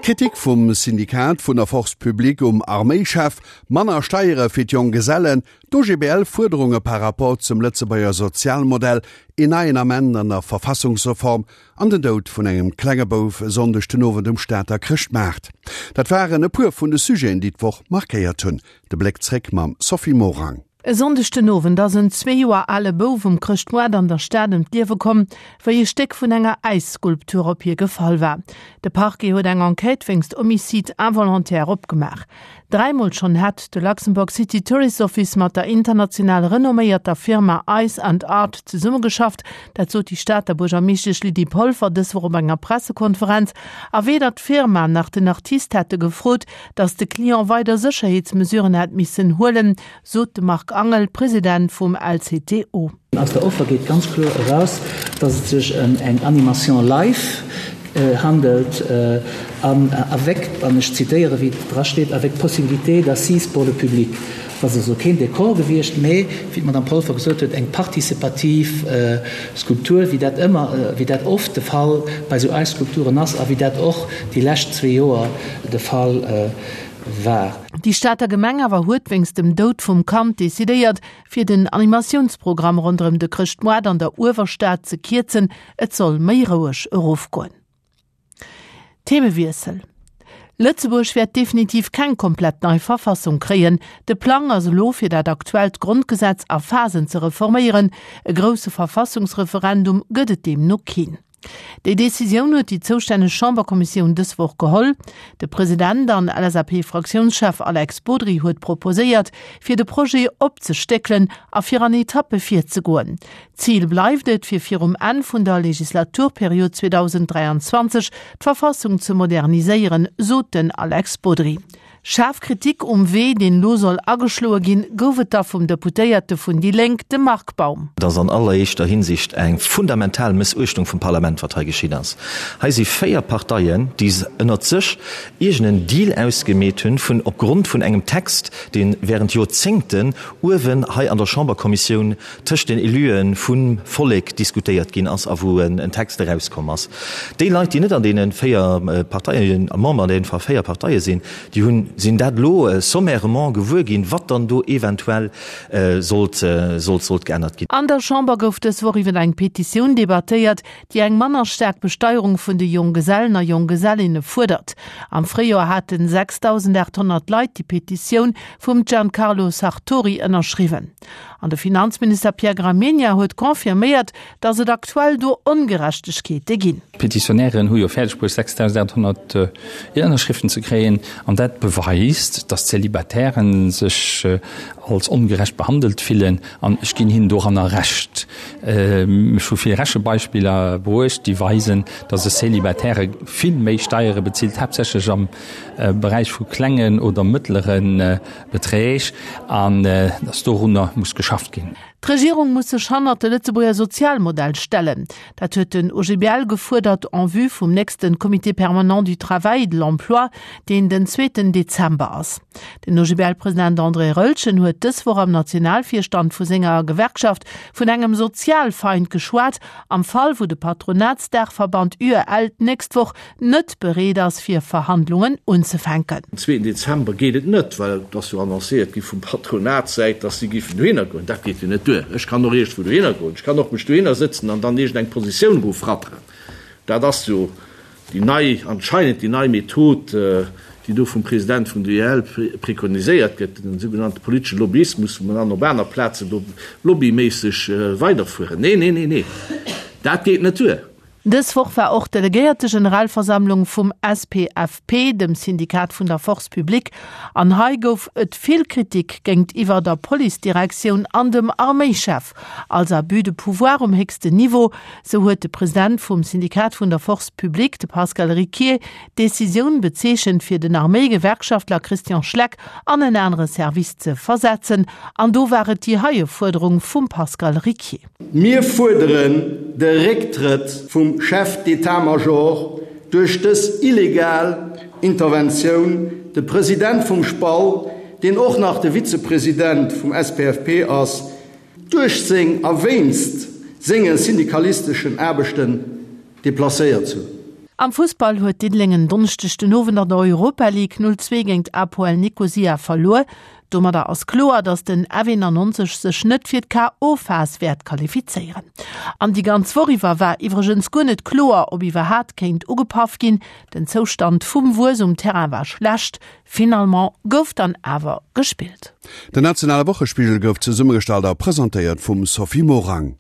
Kritik vum Syndikat vun der Force publique um Arméischef, manner Steiere fir d'Jonggesellen, d'OGBL-Fuerderunge par rapport zum Lëtzebuerger Sozialmodell, een neien Ament an der Verfassungsreform an den Doud vun engem klenge Bouf e Sonndeg den Owend um Stater Chrëschtmaart. Dat waren e puer vun de Sujeten, déi d'Woch markéiert hunn. De Bléck zréck mam Sophie Morang. E Sonndeg den Owend ass en zwee Joer ale Bouf um Chrëschtmoart an der Stad ëm d'Liewe komm, wéi e Stéck vun enger Äisskulptur op hie gefall war. De Parquet huet eng Enquête wéinst Homicide involontaire opgemaach. Dräimol schonn hätt de Luxembourg City Tourist Office mat der international renomméierter Firma Ice and Art zesummegeschafft. Dat sot déi Stater Buergermeeschtesch Lydie Polfer dës Woch op enger Pressekonferenz. A weder d'Firma nach den Artist hätte gefrot, datt de Client weider Sécherheetsmesuren hätt missen huelen, sot de Marc Angel, President vum LCTO. Aus der Offer geet ganz kloer eraus, dass et sech ëm eng Animation live handelt an avec, an ech zitéiere wéi et dra steet, avec possibilité d'assises pour le public. Et ass also keen Dekor gewiescht, mee, wéi d'Madame Polfer gesot huet, eng participativ Skulptur, wéi dat ëmmer, wéi dat oft de Fall bei esou Eisskulpturen ass a wéi dat och déi lescht zwee Joer de Fall war. Déi Stater Gemeng awer huet wéinst dem Doud vum Kand decidéiert, fir den Animatiounsprogramm ronderëm de Chrëschtmoart an der Uewerstad ze kierzen. Et soll méi roueg erofgoen. Themewiessel, Lëtzebuerg wäert definitiv keng komplett nei Verfassung kréien. De Plang ass elo, fir dat aktuellt Grondgesetz a Phasen ze reforméieren. E grousse Verfassungsreferendum gëtt et deemno keen. Déi Decisioun huet déi zoustänneg Chamberkommissioun dës Woch geholl. De President an LSAP-Fraktiounschef Alex Bodry huet proposéiert, fir de Projet opzestéckelen a fir an Etappe virzegoen. Zil bleift et, fir virum Enn vun der Legislaturperiod 2023 d'Verfassung ze moderniséieren, sot den Alex Bodry. Schaarf Kritik um Wee, deen elo soll ageschloe ginn, gouf et da vum Deputéierte vun déi Lénk, dem Marc Baum. Et ass an alleréischter Hinsicht eng fundamental Mëssuechtung vum Parlament, wat hei geschitt ass. Hei si 4 Parteien, déi ënnert sech iergend en Deal ausgemeet hunn, vun op Grond vun engem Text, dee während Joerzéngten uewen hei an der Chamberkommissioun tëscht den Elue vum Vollek diskutéiert ginn ass a wou en Text erauskomm ass. Déi Leit, déi net an deene 4 Parteien, Member an deene 4 Parteie sinn, déi hunn, sinn dat elo sommairement gewuer ginn, wat dann do eventuell sollt, sollt, sollt geännert ginn. An der Chamber gouf dës Woch iwwer eng Petitioun debattéiert, déi eng manner staark Besteierung vun de Jonggesellen a Jonggesellinne fuerdert. Am Fréijoer haten 6.800 Leit déi Petitioun vum Giancarlo Sartori ënnerschriwwen. An de Finanzminister Pierre Gramegna huet confirméiert, datt et aktuell do Ongerechtegkeete ginn. D'Petitionären hu jo fäerdeg bruecht 6.800 Ënnerschriften ze kréien an dat beweist, datt d'Célibataire sech als ongerecht behandelt fillen an ech ginn hinnen doranner Recht. Ech hu vill Rechebeispiller bruecht, déi weisen, datt e Célibataire vill méi Steiere bezilt, haaptsächlech am Beräich vu klengen oder mëttlere Beträg an datt dorunner muss geschafft ginn. D'Regierung muss sech hannert de Lëtzebuerger Sozialmodell stellen. Dat huet den OGBL gefuerdert en vue vum nächste Comité permanent du travail et de l'emploi, deen den zweeten Dezember ass. Den OGBL-President André Roeltgen huet dës Woch am Nationalvirstand vu senger Gewerkschaft vun engem Sozialfeind geschwat, am Fall wou de Patronatsdaachverband UEL d'nächst Woch net bereet ass fir Verhandlungen unzefänken. Den zweeten Dezember geet et net, well et ass jo annoncéiert gi vum Patronatssäit, datt si géifen dohinner goen. Dat geet jo net duer. Ech kann och iergendwou dohinner goen. Ech kann och mech dohinner sëtzen an dann iergendeng Positioun erofratteren. Dat ass jo déi nei, anscheinend déi nei Method, déi do vum President vun der UEL preconiséiert gëtt, den sougenannte politesche Lobbyismus, wou mer dann op aner Plazen do lobbyméisseg weiderfueren. Nee, nee, nee, nee, dat geet net duer. Dës Woch war och d'Delegéiertegeneralversammlung vum SPFP, dem Syndikat vun der Force publique, an hei gouf et vill Kritik géintiwwer der Policedirektioun an dem Arméischef als Abus de pouvoir um héchsten Niveau. Sou huet de President vum Syndikat vun der Force publique, de Pascal Ricquier, d'Decisioun bezeechent, fir den Arméigewerkschaftler Christian Schleck an en anere Service ze versetzen. An do war et déi heie Fuerderung vum Pascal Ricquier. Mir fuerderen de Récktrëtt vum Chef d'État-Major duerch dës illegal Interventioun. De President vum SPAL, deen och nach de Vizepresident vum SPFP ass, duerch seng a wéinst senge syndikalisteschen Aarbechten deplacéiert ze hunn. Am Fussball huet Diddeleng en Donneschdeg den Owend an der Europa League 0, 2 géint APOEL Nikosia verluer. Domadder ass kloer, datt den F91 sech net fir d'KO-Phas wäert qualifizéieren. An déi ganz Woch iwwer war iwwregens guer net kloer, ob iwwerhaat kéint ugepaff ginn. Den Zoustand vum Wues um Terrain war schlecht. Finalement gouf dann awer gespillt. Den nationale Wochespigel gouf zesummegestallt a presentéiert vum Sophie Morang.